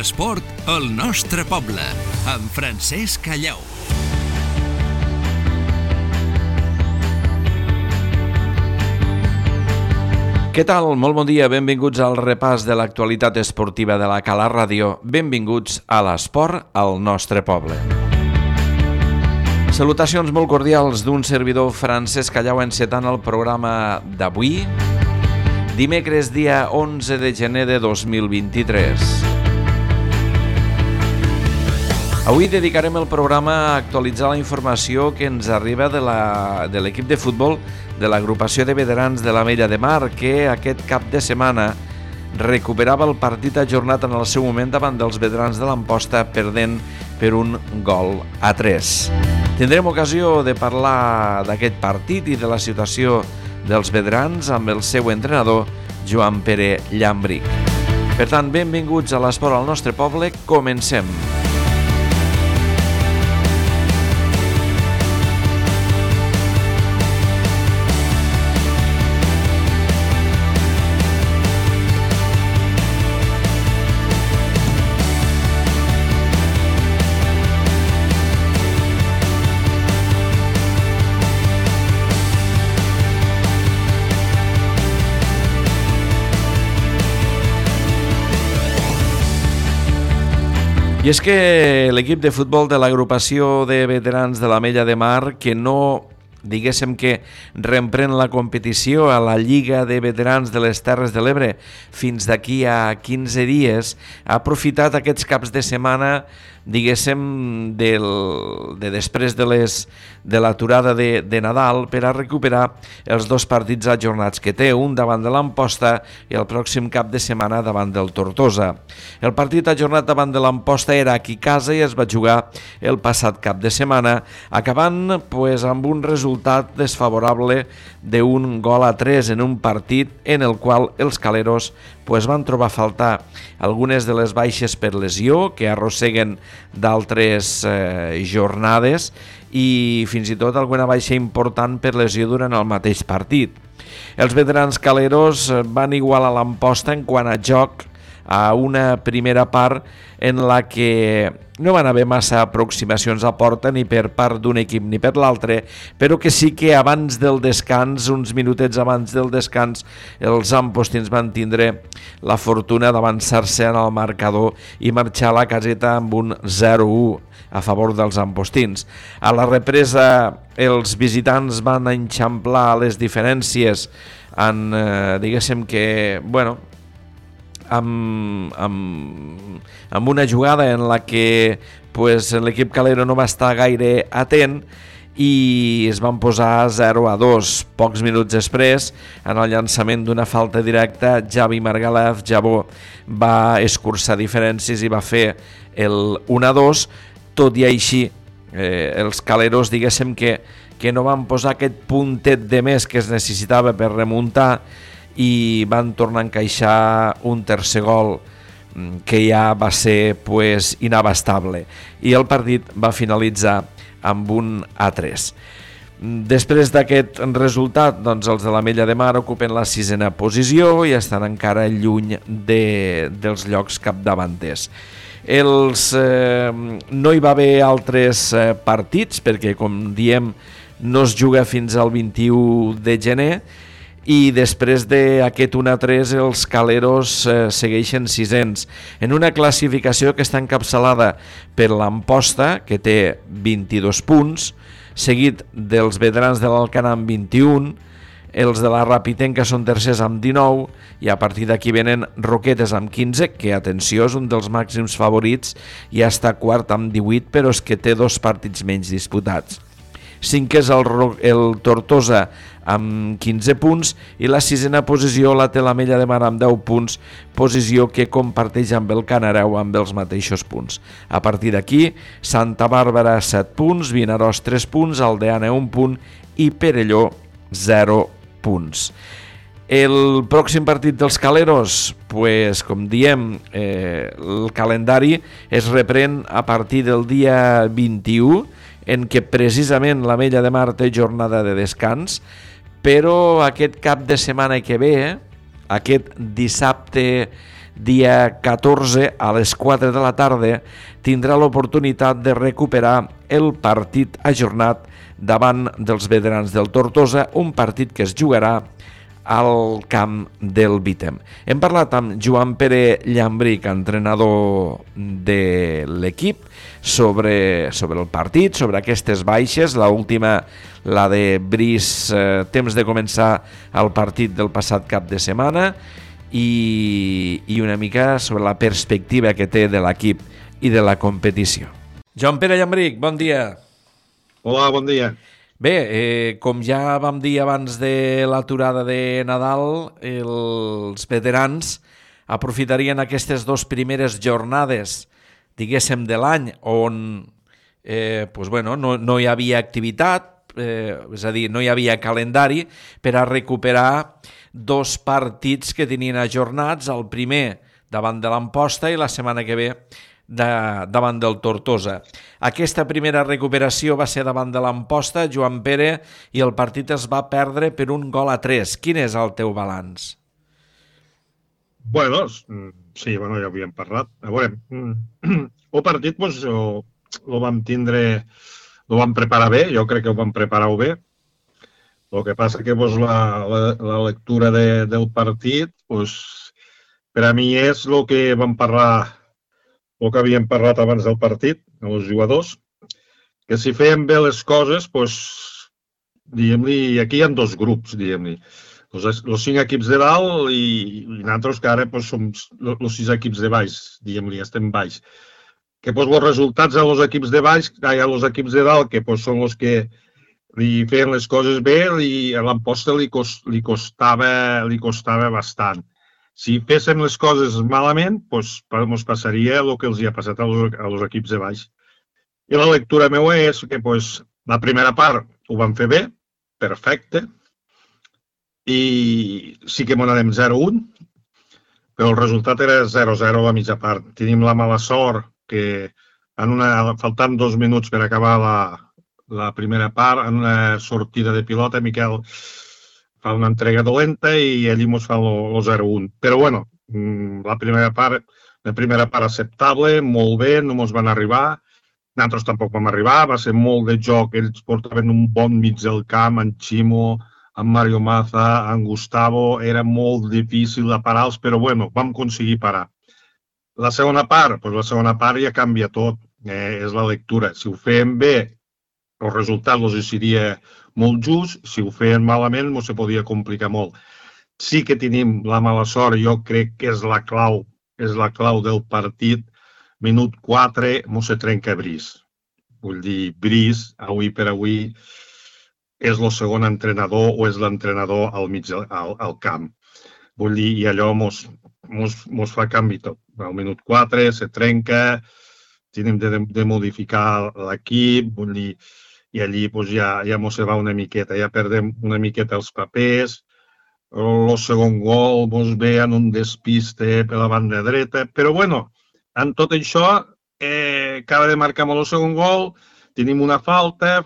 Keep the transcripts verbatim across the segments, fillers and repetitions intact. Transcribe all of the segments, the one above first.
L'esport al nostre poble, amb Francesc Callau. Què tal? Molt bon dia, benvinguts al repàs de l'actualitat esportiva de la Cala Ràdio. Benvinguts a l'esport al nostre poble. Salutacions molt cordials d'un servidor Francesc Callau encetant el programa d'avui, dimecres dia onze de gener de dos mil vint-i-tres. Avui dedicarem el programa a actualitzar la informació que ens arriba de, la, de l'equip de futbol de l'agrupació de veterans de l'Ametlla de Mar, que aquest cap de setmana recuperava el partit ajornat en el seu moment davant dels veterans de l'Amposta, perdent per un gol a tres. Tindrem ocasió de parlar d'aquest partit i de la situació dels veterans amb el seu entrenador, Joan Pere Llambric. Per tant, benvinguts a l'esport al nostre poble. Comencem. I és que l'equip de futbol de l'agrupació de veterans de l'Ametlla de Mar, que no, diguéssim que reemprèn la competició a la Lliga de Veterans de les Terres de l'Ebre fins d'aquí a quinze dies, ha aprofitat aquests caps de setmana, diguéssim, del, de després de, les, de l'aturada de, de Nadal per a recuperar els dos partits ajornats que té, un davant de l'Amposta i el pròxim cap de setmana davant del Tortosa. El partit ajornat davant de l'Amposta era aquí a casa i es va jugar el passat cap de setmana, acabant pues, amb un resultat desfavorable d'un gol a tres en un partit en el qual els caleros pues, van trobar a faltar algunes de les baixes per lesió que arrosseguen d'altres eh, jornades i fins i tot alguna baixa important per lesió durant el mateix partit. Els veterans caleros van igualar l'Amposta en quant a joc a una primera part en la que no van haver massa aproximacions a porta ni per part d'un equip ni per l'altre, però que sí que abans del descans, uns minutets abans del descans, els ampostins van tindre la fortuna d'avançar-se en el marcador i marxar a la caseta amb un zero a u a favor dels ampostins. A la represa els visitants van enxamplar les diferències en, eh, diguéssim que, bueno, Amb, amb, amb una jugada en la que pues, l'equip calero no va estar gaire atent i es van posar zero a dos. Pocs minuts després, en el llançament d'una falta directa, Javi Margalef Jabó va escurçar diferències i va fer el un a dos, tot i així eh, els caleros diguéssim que, que no van posar aquest puntet de més que es necessitava per remuntar i van tornar a encaixar un tercer gol que ja va ser pues, inabastable i el partit va finalitzar amb un a tres. Després d'aquest resultat, doncs, els de l'Ametlla de Mar ocupen la sisena posició i estan encara lluny de, dels llocs capdavanters. Els, eh, no hi va haver altres eh, partits perquè, com diem, no es juga fins al vint-i-u de gener i després d'aquest un a tres els caleros eh, segueixen sisens en una classificació que està encapçalada per l'Amposta, que té vint-i-dos punts, seguit dels veterans de l'Alcanar amb vint-i-un, els de la Rapitenca són tercers amb dinou i a partir d'aquí venen Roquetes amb quinze, que atenció és un dels màxims favorits, i està quart amb divuit, però és que té dos partits menys disputats. Cinquè és el, el Tortosa amb quinze punts i la sisena posició la té l'Ametlla de Mar amb deu punts, posició que comparteix amb el Canareu amb els mateixos punts. A partir d'aquí, Santa Bàrbara set punts, Vinaròs tres punts, Aldeana un punt i Perelló zero punts. El pròxim partit dels caleros, pues, com diem, eh, el calendari es reprèn a partir del dia vint-i-u, en què precisament l'Ametlla de Mar té jornada de descans, però aquest cap de setmana que ve, aquest dissabte dia catorze a les quatre de la tarda tindrà l'oportunitat de recuperar el partit ajornat davant dels veterans del Tortosa, un partit que es jugarà al camp del Vitem. Hem parlat amb Joan Pere Llambric, entrenador de l'equip, sobre, sobre el partit, sobre aquestes baixes, la última, la de Brice, eh, temps de començar el partit del passat cap de setmana, i, i una mica sobre la perspectiva que té de l'equip i de la competició. Joan Pere Llambric, bon dia. Hola, bon dia. Bé, eh, com ja vam dir abans de l'aturada de Nadal, els veterans aprofitarien aquestes dues primeres jornades, diguéssim, de l'any, on eh, pues bueno, no, no hi havia activitat, eh, és a dir, no hi havia calendari, per a recuperar dos partits que tenien ajornats, el primer davant de l'Amposta i la setmana que ve de, davant del Tortosa. Aquesta primera recuperació va ser davant de l'Amposta, Joan Pere, i el partit es va perdre per un gol a tres. Quin és el teu balanç? Bueno, sí, bueno, ja havíem parlat. A veure, el partit pues, ho, ho vam tindre, ho vam preparar bé, jo crec que ho vam preparar bé. El que passa que pues, la, la, la lectura de, del partit, pues, per a mi és el que vam parlar, el que havíem parlat abans del partit, els jugadors, que si fèiem bé les coses, pues, diguem-li, aquí hi ha dos grups, diguem-li. Els, els cinc equips de dalt i, i nosaltres que ara pues, som els sis equips de baix, diguem-li, estem baix. Que pues, els resultats dels equips de baix, hi ha els equips de dalt, que pues, són els que li feien les coses bé i a l'Amposta li, cost, li, costava, li costava bastant. Si féssim les coses malament, doncs ens passaria el que els hi ha passat als, als equips de baix. I la lectura meva és que doncs, la primera part ho vam fer bé, perfecte, i sí que m'ho anem zero a un, però el resultat era zero a zero a la mitja part. Tenim la mala sort que en una, faltant dos minuts per acabar la, la primera part, en una sortida de pilota, Miquel fa una entrega dolenta i allí ens fa el zero a un. Però bueno, la primera part, la primera part acceptable, molt bé, no ens van arribar. Nosaltres tampoc vam arribar, va ser molt de joc, ells portaven un bon mig del camp, en Ximo, en Mario Maza, en Gustavo, era molt difícil de parar-los, però bueno, vam aconseguir parar. La segona part, doncs la segona part ja canvia tot, eh, és la lectura. Si ho fèiem bé, el resultat els seria molt just, si ho feien malament no se podia complicar molt. Sí que tenim la mala sort, jo crec que és la clau, és la clau del partit. Minut quatre no se trenca Brice. Vull dir, Brice, avui per avui, és el segon entrenador o és l'entrenador al mig al, al camp. Vull dir, i allò mos, mos, mos fa canvi tot. Al minut quatre se trenca, tenim de, de modificar l'equip, vull dir, i allí pues, ja, ja mos se va una miqueta, ja perdem una miqueta els papers. El segon gol mos ve en un despiste per la banda dreta, però bueno, en tot això, eh, acaba de marcar el segon gol, tenim una falta,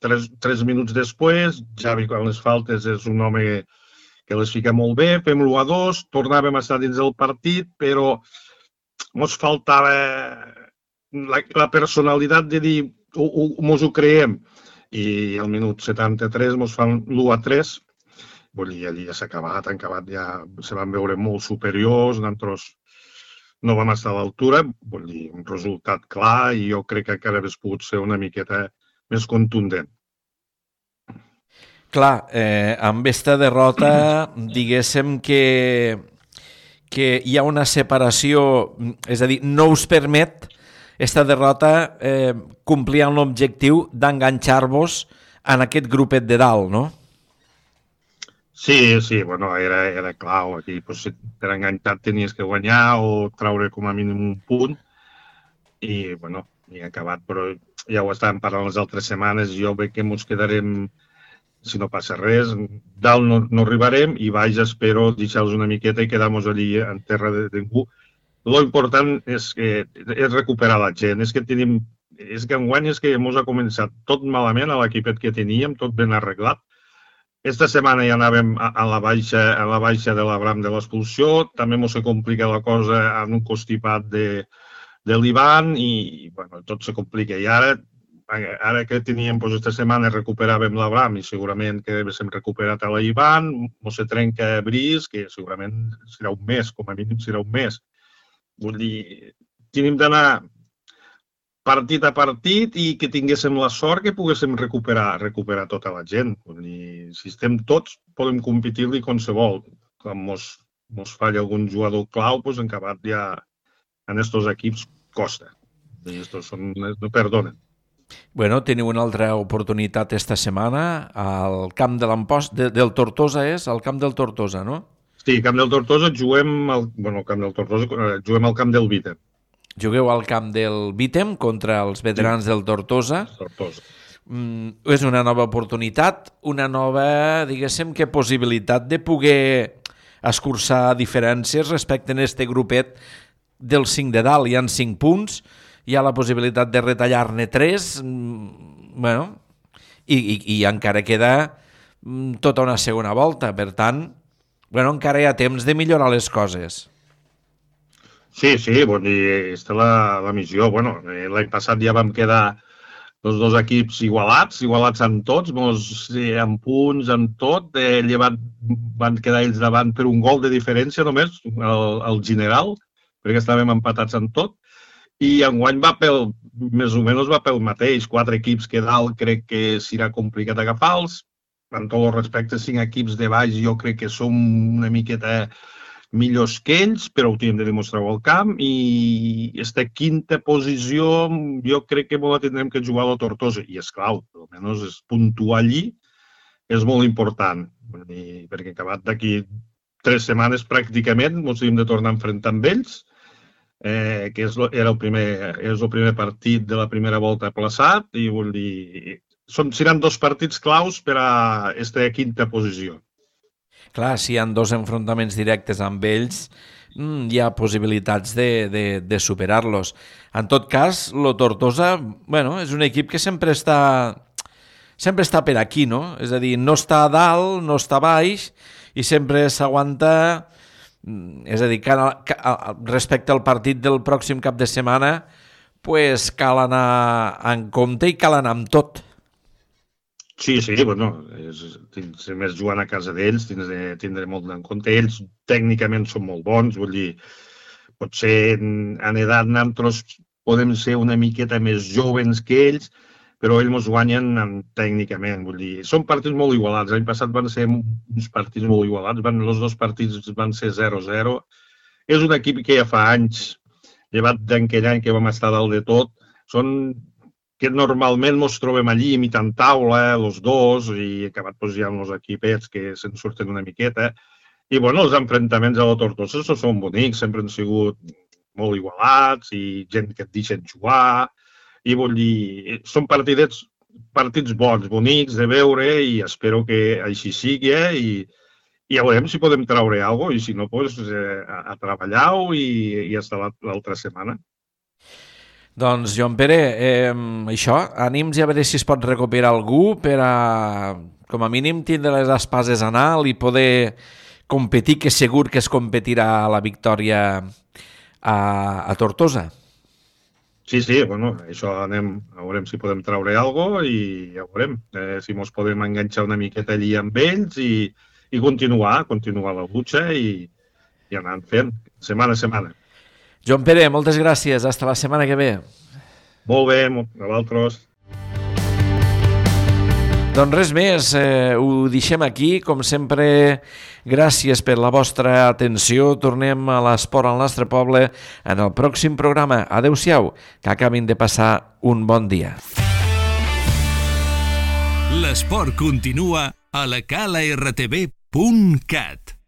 tres, tres minuts després, Javi quan les faltes és un home que les fica molt bé, fem l'u a dos, tornàvem a estar dins del partit, però ens faltava la, la personalitat de dir ens ho creiem. I al minut setanta-tres ens fan l'u a tres, vull dir, allí ja s'ha acabat, han acabat, ja se van veure molt superiors, nosaltres no vam estar a l'altura, vull dir, un resultat clar i jo crec que encara hauria pogut ser una miqueta més contundent. Clar, eh, amb aquesta derrota, diguéssim que, que hi ha una separació, és a dir, no us permet aquesta derrota eh, complir amb l'objectiu d'enganxar-vos en aquest grupet de dalt, no? Sí, sí, bueno, era, era clau. Aquí, pues, per enganxar tenies que guanyar o treure com a mínim un punt i, bueno, i ha acabat, però ja ho estàvem parlant les altres setmanes, jo veig que ens quedarem, si no passa res, dalt no, no arribarem i baix espero deixar-los una miqueta i quedar-nos allí en terra de ningú. Lo important és, que, és recuperar la gent, és que tenim, és que enguany és que ens ha començat tot malament a l'equipet que teníem, tot ben arreglat, Esta setmana ja anàvem a, a, la baixa, a la baixa de l'Abram de l'expulsió, també mos se complica la cosa en un constipat de, de l'Ivan i bueno, tot se complica. I ara, ara que teníem, doncs, esta setmana recuperàvem l'Abram i segurament que haguéssim recuperat a l'Ivan, mos se trenca Brice, que segurament serà un mes, com a mínim serà un mes. Vull dir, tenim d'anar partit a partit i que tinguéssim la sort que poguéssim recuperar, recuperar tota la gent. Vull dir, si estem tots, podem competir-li qualsevol. Quan mos, mos falla algun jugador clau, doncs en acabat ja en estos equips costa. I estos són, no perdonen. Bueno, teniu una altra oportunitat esta setmana al camp de l'Amposta, de, del Tortosa és? Al camp del Tortosa, no? Sí, camp del Tortosa juguem al, bueno, camp del Tortosa, juguem al camp del Vítem. Jugueu al camp del Vítem contra els veterans sí. del Tortosa. Tortosa. Mm, és una nova oportunitat, una nova, diguéssim, que possibilitat de poder escurçar diferències respecte a este grupet dels cinc de dalt. Hi ha cinc punts, hi ha la possibilitat de retallar-ne tres, mm, bueno, i, i, i encara queda mm, tota una segona volta. Per tant, bueno, encara hi ha temps de millorar les coses. Sí, sí, bon, i aquesta és la, la missió. Bueno, l'any passat ja vam quedar els dos equips igualats, igualats en tots, mos, en punts, en tot. Eh, llevat, van quedar ells davant per un gol de diferència només, el, el general, perquè estàvem empatats en tot. I enguany va pel, més o menys va pel mateix. Quatre equips que dalt crec que serà complicat agafar-los. En tots els respectes, cinc equips de baix jo crec que som una miqueta millors que ells, però ho tenim de demostrar al camp, i aquesta quinta posició jo crec que la tindrem que jugar a la Tortosa, i és clau, almenys és puntuar allí, és molt important, I, perquè acabat d'aquí tres setmanes pràcticament ens hem de tornar a enfrontar amb ells, eh, que és, era el primer, és el primer partit de la primera volta aplaçat, i vull dir, són, seran dos partits claus per a aquesta quinta posició. Clar, si hi ha dos enfrontaments directes amb ells, hi ha possibilitats de, de, de superar-los. En tot cas, lo Tortosa, bueno, és un equip que sempre està, sempre està per aquí, no? És a dir, no està a dalt, no està a baix, i sempre s'aguanta, és a dir, respecte al partit del pròxim cap de setmana, pues cal anar en compte i cal anar amb tot. Sí, sí, bueno, és, si més jugant a casa d'ells, tindré, tindré molt en compte. Ells tècnicament són molt bons, vull dir, potser en, en edat nosaltres podem ser una miqueta més joves que ells, però ells ens guanyen en, tècnicament, vull dir, són partits molt igualats. L'any passat van ser uns partits molt igualats, van, els dos partits van ser zero zero. És un equip que ja fa anys, llevat d'aquell any que vam estar dalt de tot, són que normalment ens trobem allí imitant taula, els dos, i acabat doncs, hi ha uns equipets que se'n surten una miqueta. I bueno, els enfrontaments a la Tortosa són bonics, sempre han sigut molt igualats i gent que et deixen jugar. I vull dir, són partidets, partits bons, bonics de veure, i espero que així sigui, eh? I, i ja veurem si podem traure alguna cosa, i si no, doncs, eh, a, a treballar-ho i, i hasta l'altra setmana. Doncs, Joan Pere, eh, això, ànims i a veure si es pot recuperar algú per a, com a mínim, tindre les espases a alt i poder competir, que segur que es competirà la victòria a, a Tortosa. Sí, sí, bueno, això anem, a veurem si podem traure alguna cosa i ja veurem eh, si ens podem enganxar una miqueta allí amb ells i, i continuar, continuar la lucha i, i anar fent, setmana a setmana. Joan Pere, moltes gràcies. Hasta la setmana que ve. Molt bé, a vosaltres. Doncs res més, eh, ho deixem aquí. Com sempre, gràcies per la vostra atenció. Tornem a l'esport al nostre poble en el pròxim programa. Adéu-siau, que acabin de passar un bon dia. L'esport continua a la cala r t v punt cat.